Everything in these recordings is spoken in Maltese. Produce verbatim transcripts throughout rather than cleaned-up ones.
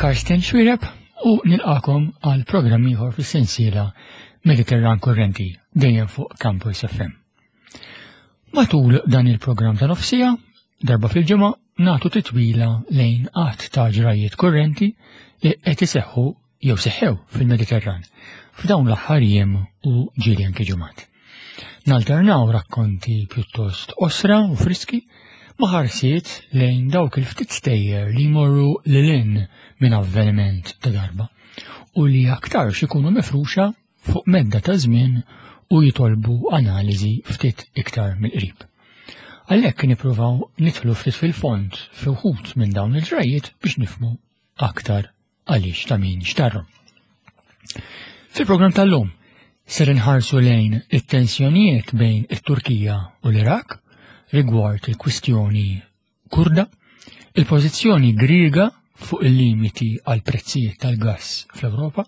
Karsten Xuereb u nilqakom għal programm ieħor fis-sensiela Mediterran Kurrenti dejjem fuq Campus F M. Matul dan il-programm ta' nofsija, darba fil-ġimgħa nagħtu titwila lejn qatt ta' ġrajiet kurrenti li qed iseħħu jew seħħew fil-Mediterran f'dawn l-aħħar jiem u ġieli anke ġimgħat. Nalternaw rakkonti pjuttost osra u friski ma' ħarsiet lejn dawk il-ftit stejjer li jmorru lil hinn minn avveniment ta' darba u li aktarx ikunu mifruxa fuq medda ta' żmien u jitolbu analiżi ftit iktar mill-qrib. Għalhekk nippruvaw nidħlu ftit fil-fond fi wħud minn dawn il-ġrajiet biex nifhmu aktar għaliex ta' min xtarhom. Fil-programm tal-lum ser inħarsu lejn it-tensjonijiet bejn it-Turkija u l-Iraq rigward il-kwistjoni Kurda, il-pożizzjoni Griega fuq il-limiti għal prezzijiet tal-gass fl-Ewropa,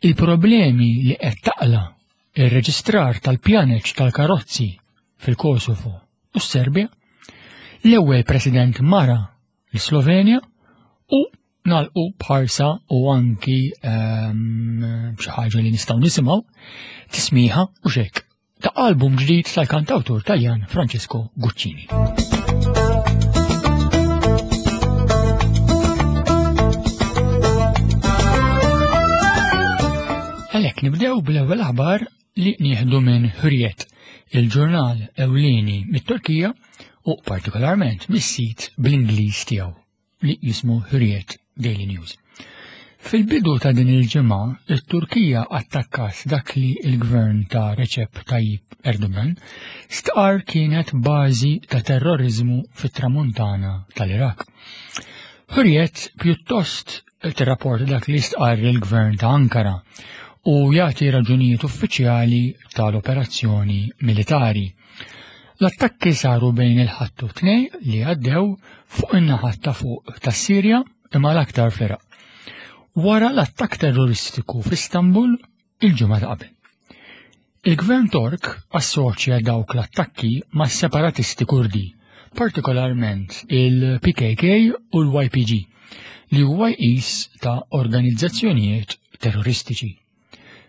il-problemi li qed taqla ir-reġistrar tal-pjaneċ tal-karozzi fil-Kosovo u s-Serbja, l-ewwel president mara l-Slovenja u nalqu bħarsa u anki, ehm, xi ħaġa li nistgħu nisimgħu tismiħa u xek ta' album ġdid tal-kantawtur Taljan Francesco Guccini. Għalhekk nibdew bl-ewwel aħbar li nieħdu minn Hürriyet, il-ġurnal ewlieni mit-Turkija u partikolarment mis-sit bl-Ingliż tiegħu li jismu Hürriyet Daily News. Fil-bidu ta' din il-ġimgħa, it-Turkija attakkat dak li l-gvern ta' Recep Tayyip Erdogan stqarr kienet bażi ta' terrorizmu fit-tramuntana tal-Iraq. Hürriyet pjuttost tirrapporta dak li stqarr il-gvern ta' Ankara u jagħti raġunijiet uffiċjali tal-operazzjoni militari. L-attakki saru bejn il-Ħadd u t-Tnejn li għaddew fuq in-naħa ta' fuq tas-Sirja imma l-aktar fl-Iraq. Wara l-attakk terroristiku f'Istanbul il-ġimgħa ta' qabel. Il-gvern Tork assoċja dawk l-attakki ma' separatisti Kurdi, partikolarment il-P K K u l-Y P G, li huwa jqis ta' organizzazzjonijiet terroristiċi.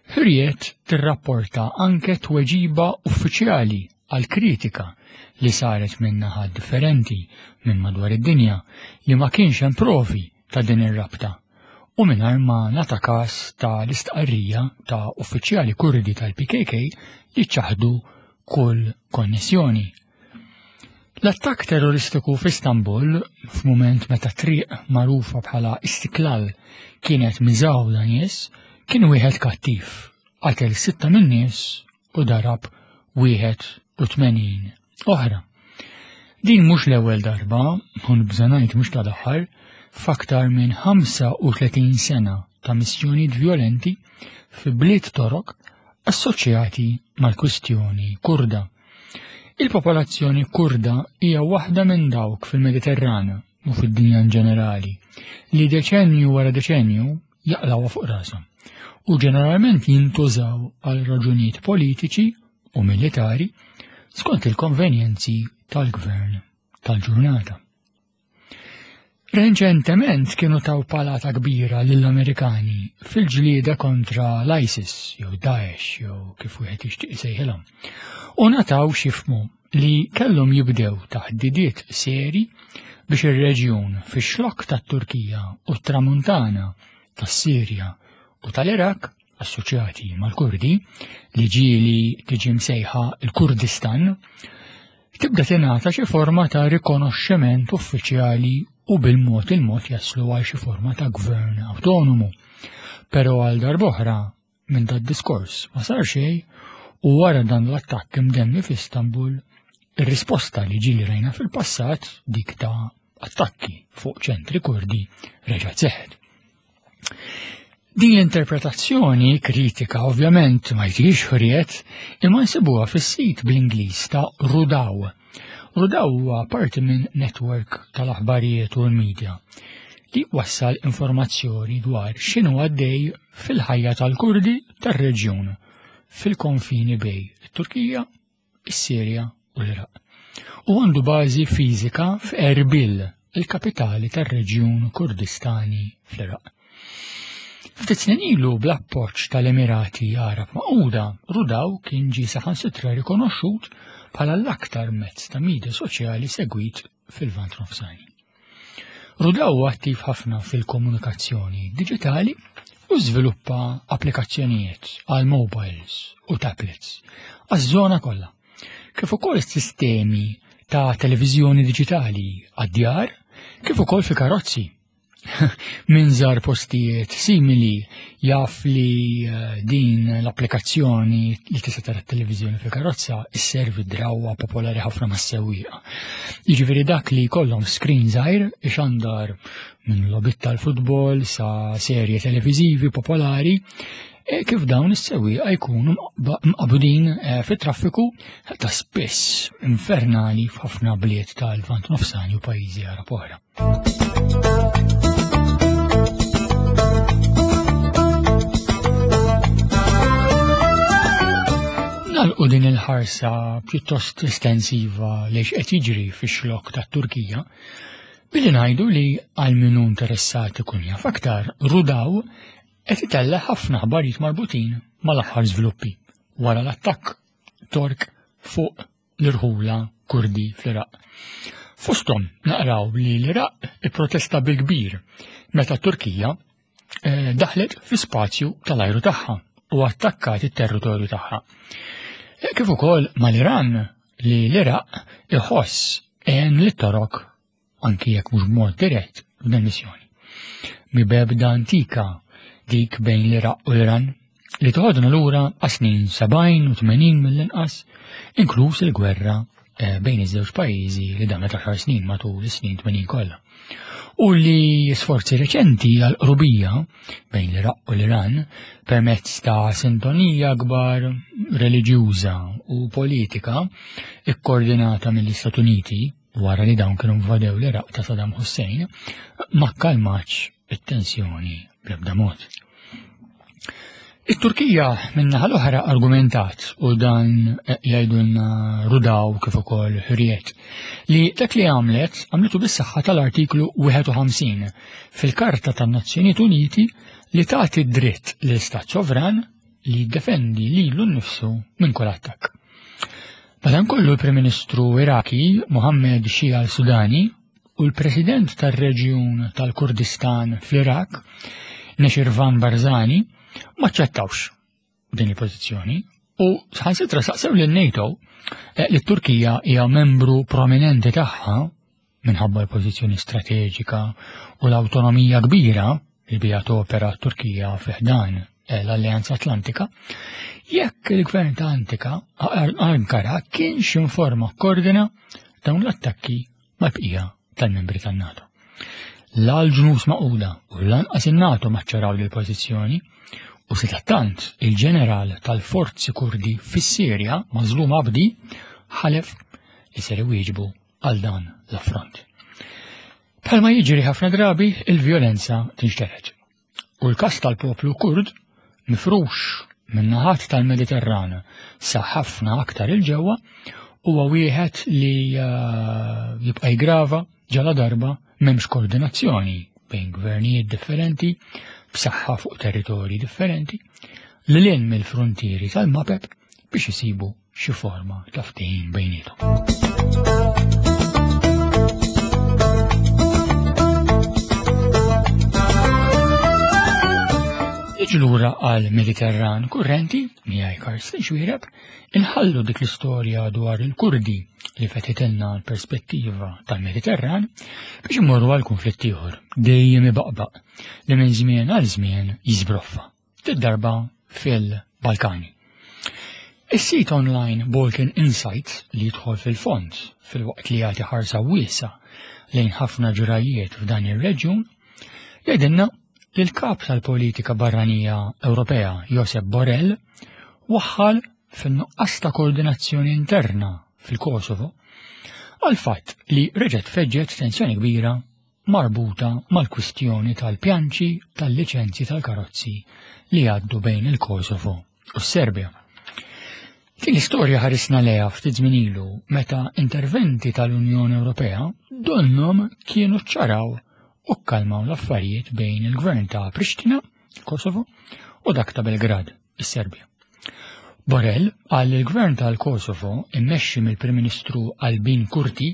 Hürriyet tirrapporta anke tweġiba uffiċjali għal kritika li saret minn naħat differenti minn madwar id-dinja li ma kienx hemm provi ta' din ir-rabta u mingħajr ma nata każ ta' l-istqarrija ta' uffiċjali Kurdi tal-P K K li ċaħdu kull konnessjoni. L-attakk terroristiku f'Istanbul, f'mument meta triq magħrufa bħala Istiklal kienet miżgħuda nies, kien wieħed kattiv, qatel sitta minn nies u darab wieħed u tmenin oħra. Din mhux l-ewwel darba, u nibża' ngħid mhux tal-aħħar, f'aktar minn ħamsa u tletin sena ta' missjonijiet violenti fi bliet Torok assoċjati mal-kwistjoni Kurda. Il-popolazzjoni Kurda hija waħda minn dawk fil-Mediterran u fid-dinja in ġenerali li deċenju wara deċenju jaqlawha fuq rashom u ġeneralment jintużaw għal raġunijiet politiċi u militari skont il-konvenjenzi tal-gvern tal-ġurnata. Reċentement kienu taw palata kbira lill-Amerikani fil-ġlieda kontra l-ISIS jew Daesh jew kif wieħed jixtieq isejħilhom. U nataw xifmu li kellhom jibdew taħdidiet seri biex ir-reġjun fix-xlokk tat-Turkija u t-Tramuntana tas-Sirja u tal-Iraq assoċjati mal-Kurdi li ġieli tiġi msejħa l-Kurdistan tibda tingħata xi forma ta' rikonoxximent uffiċjali u bil-mod il-mod jaslu għal xi forma ta' gvern awtonomu. Però għal darb'oħra minn dat diskors ma sar xejn u wara dan l-attakk imdemmi f'Istanbul, ir-risposta li ġieli rajna fil-passat dik ta' attakki fuq ċentri Kurdi reġgħet seħħet. Din l-interpretazzjoni kritika ovvjament ma jtix Hürriyet imma nsibuha fis-sit bl-Ingliż ta' Rudaw. Rudaw huwa parti minn network tal-aħbarijiet u l-medja li wassal informazzjoni dwar x'inhu għaddej fil-ħajja tal-Kurdi tar-reġjun fil-konfini bej it-Turkija, is-Sirja u l-Iraq. U għandu bażi fiżika f'Erbil, il-kapitali tar-reġjun Kurdistani fl-Iraq. Ftit snin ilu bl-appoġġ tal-Emirati Għarab Magħquda, Rudaw kien ġie saħansitra rikonoxxut bħala l-aktar mezz ta' media soċjali segwit fil-Lvant Nofsani. Rudaw huwa attiv ħafna fil-komunikazzjoni diġitali u żviluppa applikazzjonijiet għal mobiles u tablets għaż-żona kollha, kif ukoll sistemi ta' televiżjoni diġitali għad-djar, kif ukoll fi karozzi. Min żar postijiet simili jaf li eh, din l-applikazzjoni li tista' tara t-televiżjoni fil-karozza isservi drawwa popolari ħafna mas-sewwieqa. Jiġifieri dak li jkollhom screen żgħir ixandar minn logħbiet tal-futbol sa serje televiżivi popolari e kif dawn is-sewwieqa jkunu mqabudin eh, fit-traffiku ta' spiss infernali f'ħafna bliet tal-Lvant Nofsani u pajjiżi Għarab oħra. Nagħlqu din il-ħarsa pjuttost estensiva li x'qed jiġri fix-xlokk tat-Turkija billi ngħidu li għal min hu interessat ikun jaf aktar, Rudaw qed itella' ħafna aħbarijiet marbutin mal-aħħar żviluppi wara l-attakk Tork fuq l-irħula Kurdi fl-Iraq. Fosthom naqraw li l-Iraq ipprotesta bil-kbir meta t-Turkija eh, daħlet fi spazju tal-ajru tagħha u attakkat it-territorju tagħha. Eh, kif ukoll mal-Iran li l-Iraq iħoss għen lit-Torok anki jekk mhux b'mod dirett f'dan missjoni. Mibegħda antika dik bejn l-Iraq u l-Iran li toħodna lura għas-snin sebgħin u tmenin mill-inqas, inkluż il-gwerra eh, bejn iż-żewġ pajjiżi li damet għaxar snin matul is-snin tmenin kollha. U li sforzi reċenti għal qrubija bejn l-Iraq u l-Iran permezz ta' sintonija akbar reliġjuża u politika ikkoordinata mill-Istati Uniti wara li dawn kienu invadew l-Iraq ta' Saddam Hussein ma kkalmatx it-tensjoni bl-ebda mod. It-Turkija min-naħa l-oħra argumentat, u dan jgħidulna Rudaw kif ukoll Hürriyet, li dak li għamlet għamlitu bis-saħħa tal-artiklu wieħed u ħamsin fil-Karta tan-Nazzjonijiet Uniti li tagħti dritt l-Istat sovran li jiddefendi lilu nnifsu minn kull attakk. Madankollu l-Prim Ministru Iraki Mohammed Shia al-Sudani u l-President tar-Reġjun tal-Kurdistan fl-Iraq Nechirvan Barzani ma ċċettawx din il-pożizzjoni u saħansitra saqsew lil NATO eh, li t-Turkija hija membru prominenti tagħha minħabba l-pożizzjoni strateġika u l-awtonomija kbira li bija topera t-Turkija fi ħdan, eh, l-Alleanza Atlantika, jekk il-gvern ta' Antika Ankara kienx informa koordina dawn l-attakki mal-bqija tal-membri tan-NATO. La l-ġnus Magħquda u lanqas in-NATO maċċaraw l-pożizzjoni u sadattant il-ġeneral tal-forzi Kurdi fis-Sirja Mazlum Abdi ħalef li ser iwieġbu għal dan l-affront. Bħalma jiġri ħafna drabi, il-vjolenza tinxtered. U l-kas tal-poplu Kurd mifrux min-naħat tal-Mediterran sa ħafna aktar il-ġewwa huwa wieħed li, eh, jibqa' jgrava ġala darba m'hemmx koordinazzjoni bejn gvernijiet differenti b'saħħa fuq territorji differenti li lil mill-frontieri tal-mapep biex isibu xi forma ta' ftehim bejniethom. Niġu lura għal Mediterran kurrenti, miegħi Karsten Xuereb, inħallu dik l-istorja dwar il-Kurdi li fetħitilna l-perspettiva tal-Mediterran biex immorru għal konflitt ieħor dejjem ibaqbaq li minn żmien għal żmien jiżbroffa, tid-darba fil-Balkani. Is-sit online Balkan Insights li jidħol fil-fond fil-waqt li jagħti ħarsa wiesa lejn ħafna ġrajiet f'dan ir-reġjun, jgħidilna li l-kap tal-politika barranija Ewropea Josep Borrell waħħal fin-nuqqas ta' koordinazzjoni interna fil-Kosovo għal fatt li reġgħet feġġet tensjoni kbira marbuta mal-kwistjoni tal-pjanċi tal-liċenzji tal-karozzi li għaddu bejn il-Kosovo u s-Serbja. Din l-istorja ħarisna lejha ftit żmien ilu meta interventi tal-Unjoni Ewropea donnhom kienu ċċaraw u kkalmaw l-affarijiet bejn il-gvern ta' Pristina, Kosovo, u dak ta' Belgrad, is-Serbja. Borrell qal li l-gvern tal-Kosovo immexxi mill-Prim Ministru Albin Kurti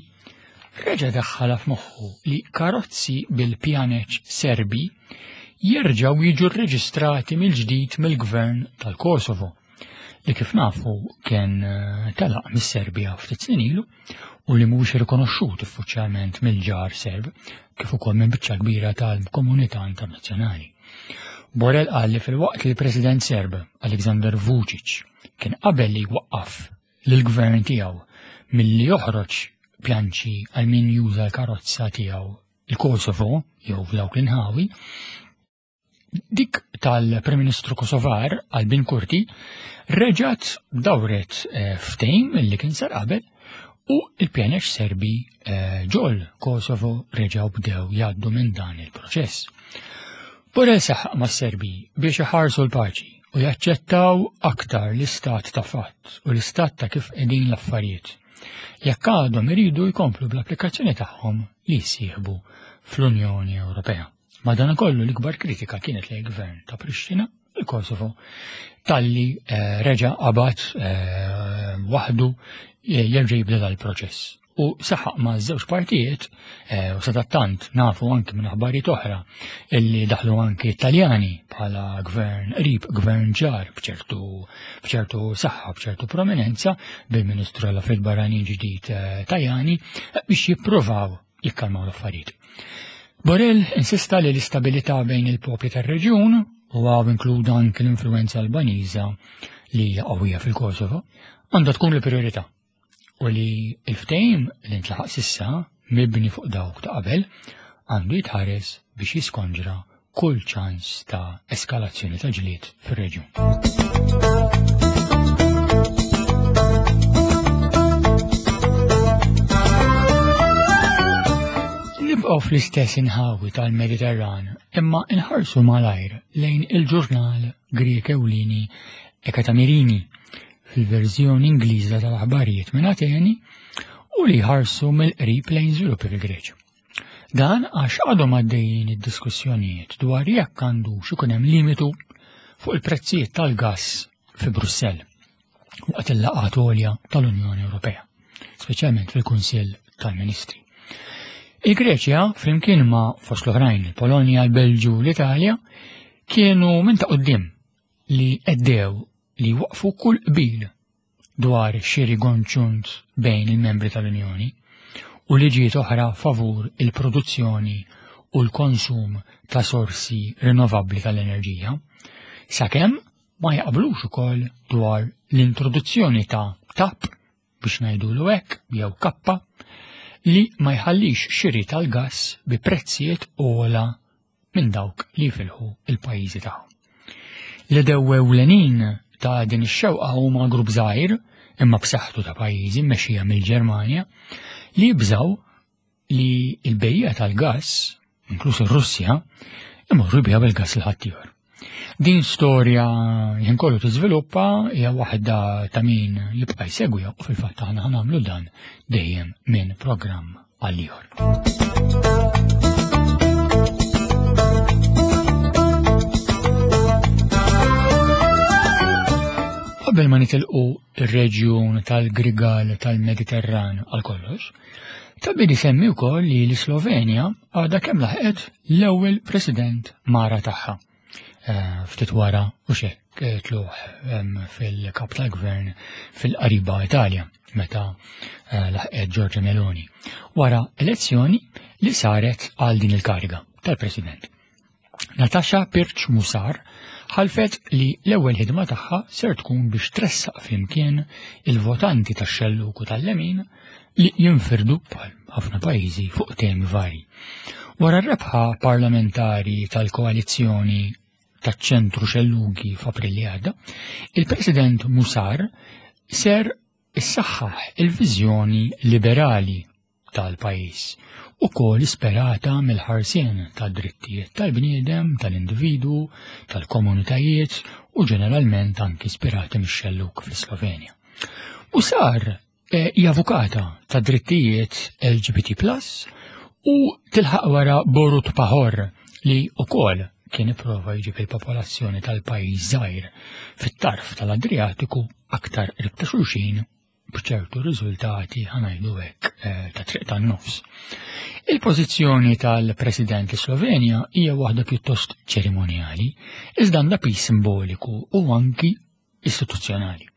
reġa' daħħalha f'moħħu li karozzi bil-pjaneċ Serbi jerġgħu jiġu rreġistrati mill-ġdid mill-gvern tal-Kosovo, li kif nafu kien telaq mis-Serbja ftit snin ilu u li mhuwiex rikonoxxut uffiċjalment mill-ġar Serb kif ukoll minn biċċa kbira tal-komunità internazzjonali. Borrell qal li filwaqt li l-President Serb Aleksandar Vučić kien qabel li jwaqqaf lill-gvern tiegħu milli joħroġ pjanċi għal min juża l-karozza tiegħu il-Kosovo jew f'dawk l-inħawi, dik tal-Prim Ministru Kosovar Albin Kurti reġgħet dawret ftehim li kien sar qabel u l-pjaneċ Serbi ġol Kosovo reġgħu bdew jgħaddu minn dan il-proċess. Borrell saħaq mas-Serbi biex iħarsu l-paċi u jaċċettaw aktar l-istat ta' fatt u l-istat ta' kif qegħdin l-affarijiet, jekk għadhom iridu jkomplu bl-applikazzjoni tagħhom li jsieħbu fl-Unjoni Ewropea. Madankollu l-ikbar kritika kienet lejn gvern ta' Pristina, il-Kosovo, talli reġa' qabad waħdu jerġa' jibda dal-proċess. U saħaq ma' żewġ partijiet, u sadattant nafu anki minn aħbarijiet oħra illi daħlu anki Italjani bħala gvern qrib, gvern ġar b'ċertu b'ċertu saħħa, b'ċertu prominenza bil-Ministru għall-Affarijiet Barranin ġdid Tajani biex jippruvaw jikkalmaw l-affarijiet. Borrell insista li l-istabilità bejn il-popli tar-reġjun, u għaw inkluda anki l-influenza Albaniża li hija qawwija fil-Kosovo, għandha tkun l-priorità u li l-ftehim li ntlaħaq sissa mibni fuq dawk ta' qabel għandu jitħares biex jiskonġra kull ċans ta' eskalazzjoni ta' ġlied fir-reġjun. Nibqgħu fl-istess inħawi tal-Mediterran, imma inħarsu malajr lejn il-ġurnal Grieg ewlieni Ekatamirini fil-verżjoni Ingliża tal-aħbarijiet minn Ateni u li jħarsu mill-qrib lejn żviluppi fil-Greċja. Dan għax għadhom għaddejjin id-diskussjonijiet dwar jekk għandux ikun hemm limitu fuq il-prezzijiet tal-gass fi Brussell waqt il-laqgħat għolja tal-Unjoni Ewropea, speċjalment fil-Kunsill tal-Ministri. Il-Greċja, flimkien ma' fost l-oħrajn il-Polonja, l-Belġu u l-Italja, kienu minn ta' quddiem li għeddew li waqfu kull qbil dwar xiri konġunt bejn il-membri tal-Unjoni u liġijiet oħra favur il-produzzjoni u l-konsum ta' sorsi rinnovabbli tal-enerġija, sakemm ma jaqblux ukoll dwar l-introduzzjoni ta' tap biex ngħidulu hekk jew kappa li ma jħallix xiri tal-gass bi prezzijiet ogħla minn dawk li jifilħu il-pajjiżi tagħhom. L-edew ewlenin ta' din ix-xewqa huma grupp żgħir imma b'saħħtu ta' pajjiżi mmexxija mill-Ġermanja li jibżgħu li l-bejja tal-gass, inkluż ir-Russja, imorru biha bil-gass l ħaddieħor. Din storja jien kollu tiżviluppa hija waħda ta' min jibqa' jsegwiha u fil-fatt aħna ħanagħmlu dan dejjem minn programm għal ieħor. Qabel ma nitilqu ir-reġjun tal-Grigal tal-Mediterran għal kollox, ta' bidi semmi wkoll li l-Slovenja għadha kemm laħqet l-ewwel president mara tagħha. Ftit wara u xek tluħ fil-kap tal-gvern fil-qariba Italja meta laħqet Giorgia Meloni wara elezzjoni li saret għal din il-kariga tal-president. Natasha Pirc Musar ħalfet li l-ewwel ħidma tagħha ser tkun biex tressaq flimkien il-votanti tax-xelluk u tal-lemin li jinfirdu bħal ħafna pajjiżi fuq temi vari. Wara r-rebħa parlamentari tal-koalizzjoni taċ-ċentru xellugi f'April li għadda, il-President Musar ser issaħħaħ il-viżjoni liberali tal-pajjiż u kol isperata mill-ħarsien tad-drittijiet tal-bniedem, tal-individwu, tal-komunitajiet u ġeneralment anki ispirati mix-xelluk fl-Slovenja. Musar eh, hija avukata ta' drittijiet L G B T plus u tilħaq wara Borut Pahor, li ukoll kien ipprova jġib il-popolazzjoni tal-pajjiż żgħir fit-tarf tal-Adriatiku aktar qrib ta' xulxin, b'ċertu riżultati, ħa ngħidu hekk, eh, ta' triq tan-nofs. Il-pożizzjoni tal-President Slovenja hija waħda pjuttost ċerimonjali, iżda għandha piż simboliku u anki istituzzjonali.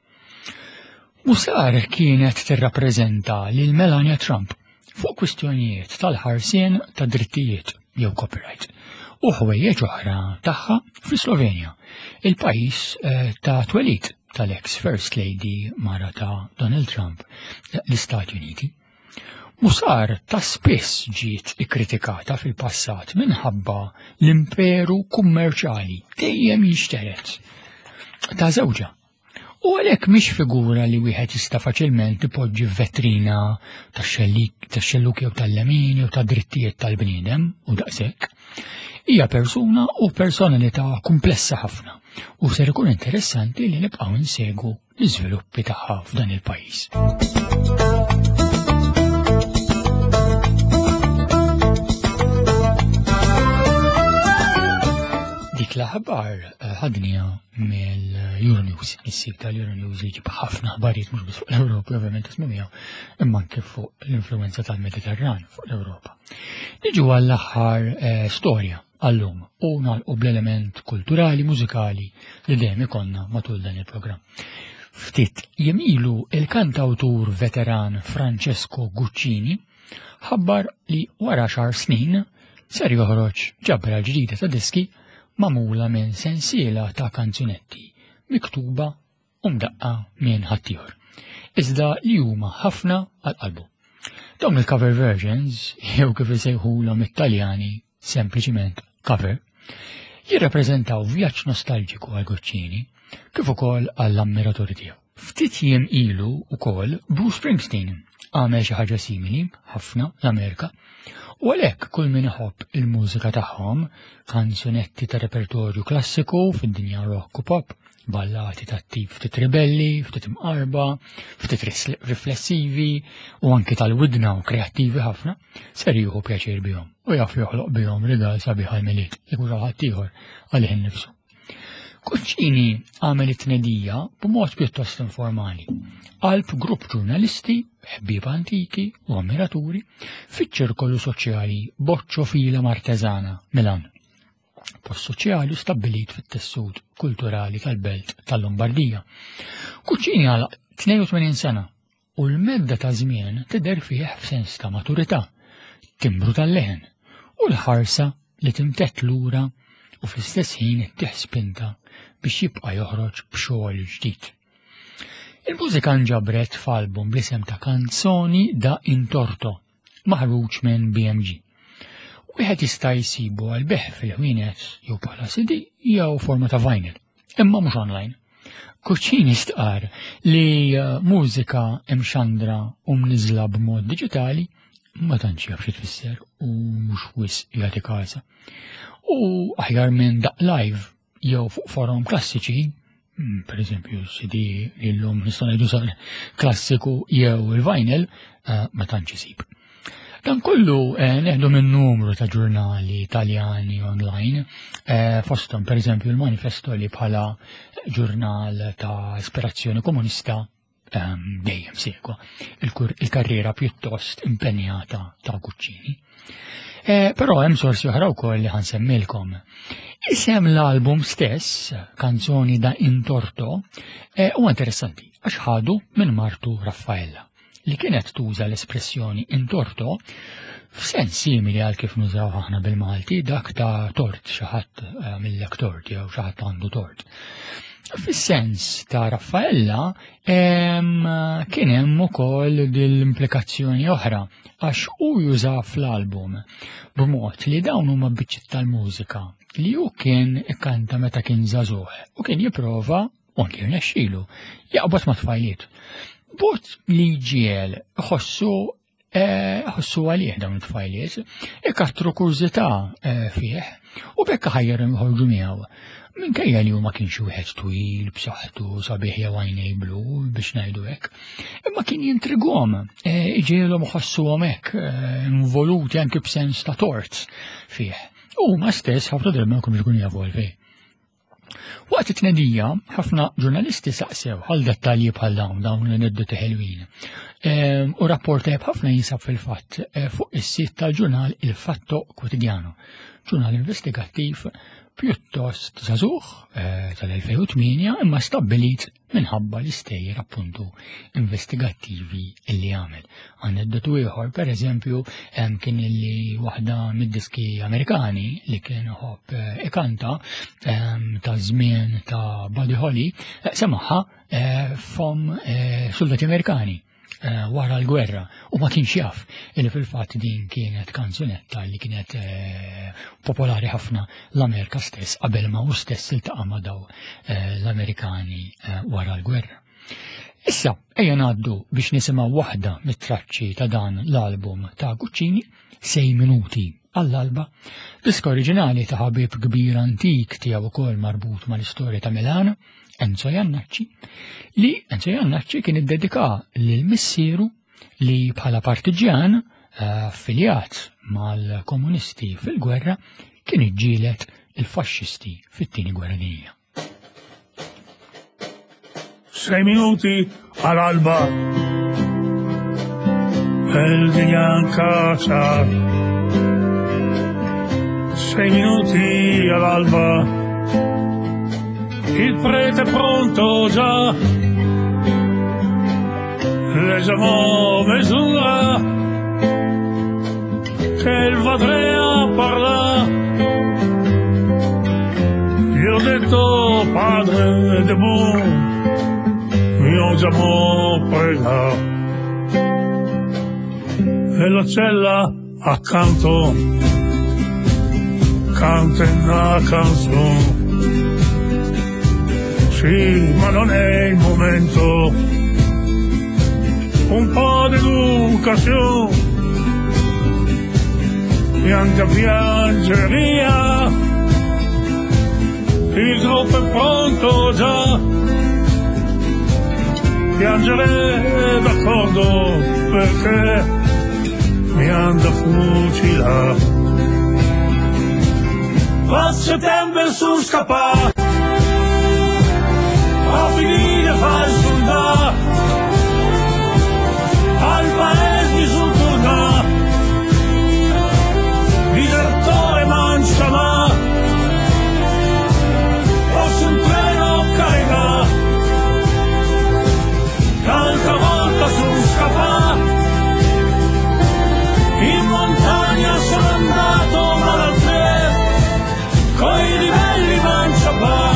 Musar kienet tirrappreżenta lil Melania Trump fuq kwistjonijiet tal-ħarsien ta' drittijiet jew copyright u ħwejjeġ oħra tagħha fl-Slovenja, il-pajjiż eh, ta' twelid tal-ex First Lady, mara ta' Donald Trump, l-Istati Uniti. Musar ta' spiss ġiet ikkritikata fil-passat minħabba l-imperu kummerċali dejjem jinxteret ta' żewġha. U għalhekk mhix figura li wieħed jista' faċilment ipoġġi f'vetrina tax-xelluk jew tal-lemin jew ta' drittijiet tal-bniedem u daqshekk. Hija persuna u personalità komplessa ħafna u ser ikun interessanti li nibqgħu nsegu l-iżviluppi tagħha f'dan il-pajjiż. Dik l-aħbar eh, ħadnieha mill-Euronews, is-sit tal-Euronews li jġib ħafna aħbarijiet mhux biss fuq l-Ewropa, ovvjament ismu miegħu, imma anke fuq l-influenza tal-Mediterran fuq l-Ewropa. Niġu għall-aħħar eh, storja għallum u nagħlqu bl-element kulturali, mużikali li dejjem ikollna matul dan il-programm. Ftit jiem ilu, il-kantawtur veteran Francesco Guccini ħabbar li wara għaxar snin ser joħroġ ġabra ġdida ta' diski magħmula minn sensiela ta' kanzunetti miktuba u mdaqqa minn ħaddieħor, iżda li huma ħafna għal qalbu. Dawn il-cover versions, jew kif isejħulhom it-Taljani sempliċiment cover, jirrappreżentaw vjaġġ nostalġiku għal Guccini kif ukoll għall-ammiraturi tiegħu. Ftit jiem ilu ukoll Bruce Springsteen għamel xi ħaġa simili ħafna l-Amerika u għalhekk kull min iħobb il-mużika tagħhom, kanzunetti ta' repertorju klassiku fid-dinja rock u pop, ballati ta' tip ftit ribelli, ftit imqarba, ftit riflessivi u anki tal-widna u kreattivi ħafna, ser jieħu pjaċir bihom u jaf joħloq bihom rigal sabiħ għal-Milied, jekk ħadd ieħor għalih innifsu. Guccini għamel it-tnedija b'mod pjuttost informali. Qalb grupp ġurnalisti, ħbieb antiki u ammiraturi fiċ-ċirkolu soċjali Boccio Fila Martesana, Milan. Post soċjali stabbilit fit-tessut kulturali tal-belt tal-Lombardija. Guccini għalaq tnejn u tmenin sena u l-medda ta' żmien tidher fih f'sens ta' maturità, timbru tal-leħen u l-ħarsa li timtedd lura u fl-istess ħin ittih spinta biex jibqa' joħroġ b'xogħol ġdid. Il-mużika nġabret f'album bl-isem ta' Canzoni da Intorto, maħruġ minn B M G. Wieħed jista' jsibu għal bejgħ fil-ħwienet jew bħala C D jew forma ta' vinyl, imma mhux online. Guccini stqar li eh, mużika imxandra u mniżla b'mod diġitali ma tantx jaf xi tfisser u mhux wisq jagħti każa. U aħjar minn daqq live jew fuq forom klassiċi, mm, per eżempju C D li llum nistgħu ngħidu sar klassiku jew il-vinyl, eh, ma tantx isib. Dan kollu eh, neħdu minn numru ta' ġurnali Italjani online, eh, fosthom per eżempju il-Manifesto, li bħala ġurnal ta' ispirazzjoni komunista ehm, dejjem segwa il-karriera pjuttost impenjata ta' Guccini. Eh, però hemm sorsi oħra wkoll li ħa nsemmilkom. Isem l-album stess, Canzoni da Intorto, eh, huwa interessanti għax ħadu minn martu Raffaella, li kienet tuża l-espressjoni intorto f'sens simili għal kif nużaw aħna bil-Malti, dak ta' tort, xi ħadd eh, għamillek tort jew xi ħadd għandu tort. Fis-sens ta' Raffaella kien hemm ukoll dil-implikazzjoni oħra, għax hu juża fl-album b'mod li dawn huma biċċiet tal-mużika li hu kien ikkanta meta kien żagħżugħ u kien jipprova, u anki rnexxielu, jaqbad ma' tfajliet. Bot li ġiel ħossu ħossu għalih dawn it-tfajliet, ikattru kurżità fih u bekk ħajjarhom joħorġu miegħu. Minkejja li hu ma kienx wieħed twil, b'saħħtu, sabiħ jew għajnej blu biex ngħidu hekk, imma kien jintrigwhom, iġielhom iħossuhom hekk involuti anke b'sens ta' tort fih. U huma stess ħafna drabi ma jkunux ikunu jafu għalfejn. Waqt it-tnedija, ħafna ġurnalisti saqsew għal dettalji bħal dawn, dawn l-aneddoti ħelwin. U rapport tajjeb ħafna jinsab fil-fatt fuq is-sit tal-ġurnal Il Fatto Quotidiano, ġurnal investigattiv pjuttost żagħżugħ tal-elfejn u tmienja imma stabbilit minħabba l-istejjer appuntu investigattivi illi għamel. Aneddotu ieħor, per eżempju, kien illi waħda mid-diski Amerikani li kien iħobb ikanta ta' żmien ta' Buddy Holly, semaħha fom soldati Amerikani wara l-gwerra u ma kienx jaf illi fil-fatt din kienet kanzunetta li kienet popolari ħafna l-Amerika stess qabel ma hu stess iltaqa' ma' daw l-Amerikani wara l-gwerra. Issa ejja ngħaddu biex nisimgħu waħda mit-traċċi ta' dan l-album ta' Guccini, Sei Minuti għall-alba, diska oriġinali ta' ħabib kbir antik tiegħu wkoll marbut mal-istorja ta' Milano, Enzo Jannacci, li Enzo Jannacci kien iddedika lil missieru li bħala partiġjan affiljat mal-komunisti fil-gwerra kien iġġieled il-faxxisti fit-tieni gwerra dinjija. Sei minuti all'alba, el dinja Sei minuti all'alba, il prete è pronto già, leggiamo mesura, che il Vadrea parla. Gli ho detto padre de bon, io già mo prega. E la cella accanto canta una canzone. Sì, ma non è il momento, un po' d'educazione, neanche piangere via, il gruppo è pronto già, piangere d'accordo perché mi han da fucilare. A settembre su scappà, a finire fa il soldato, al paese mi sono tornato, disertore mancia ma, posso un treno caricare, l'altra volta sono scappato, in montagna sono andato ma dal treno, coi ribelli mancia pa.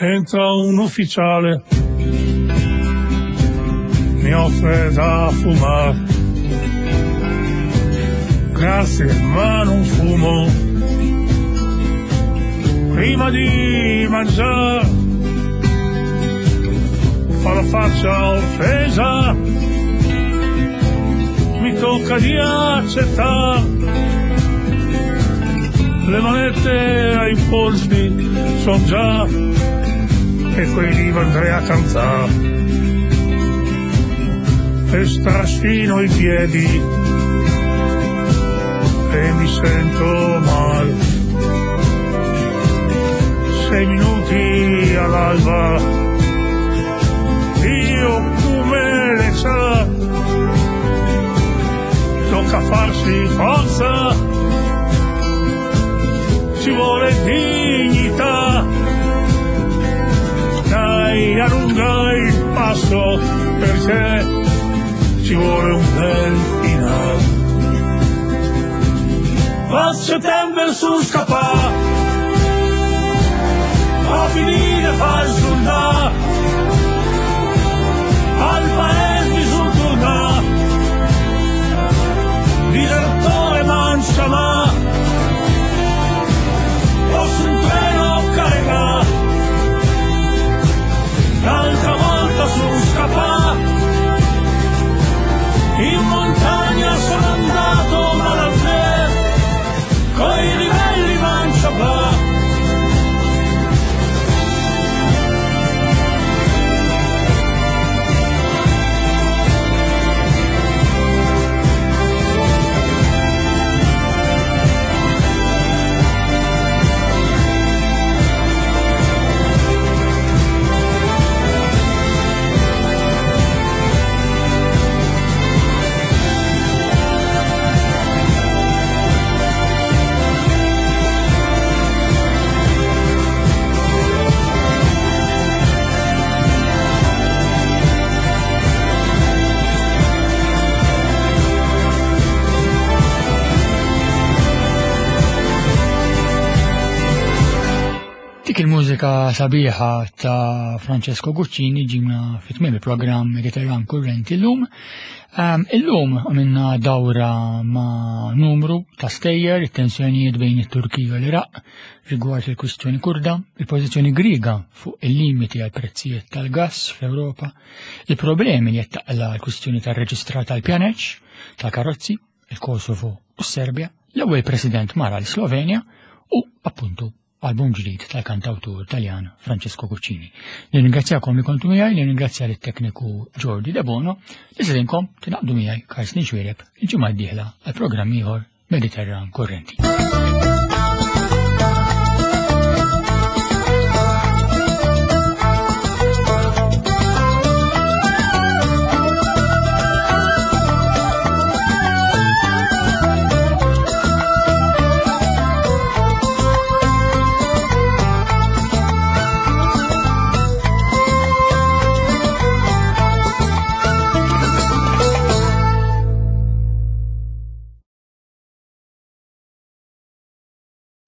Entra un ufficiale, mi offre da fumare. Grazie, ma non fumo. Prima di mangiare, fa la faccia offesa, mi tocca di accettare. Le manette ai polsi son già, e quelli andrei a cantare. E strascino i piedi e mi sento mal. Sei minuti all'alba, io come le sa, tocca farsi forza, ci vuole dignità. Dai, allunga il passo perché ci vuole un bel finale. A settembre su scappà, A finire fa il soldato, al paese mi son tornato, disertore mancia ma, posso un treno caricare, l'altra volta sono scappato, in montagna sono andato ma da te, coi ribelli mancia va. Dik il-mużika sabiħa ta' Francesco Guccini ġimna fit-tmiem il-programm Mediterran Kurrenti llum. Um, illum għamilna dawra ma' numru ta' stejjer, it-tensjonijiet bejn it-Turkija u l-Iraq rigward il-kwistjoni Kurda, il-pożizzjoni Griega fuq il-limiti għal prezzijiet tal-gass fl-Ewropa, il-problemi li qed taqla l-kwistjoni tar-reġistrar tal-pjaneċ, tal-karozzi, il-Kosovo u s-Serbja, l-ewwel President mara l-Slovenja u appuntu album ġdid tal-kantawtur Taljan Francesco Guccini. Nirringrazzjakom li kontu miegħi, nirringrazzja lit-tekniku Jordi De Bono, li sedinkom tingħaqdu miegħi Karsten Xuereb il-ġimgħa d-dieħla għal programm ieħor Mediterran Kurrenti.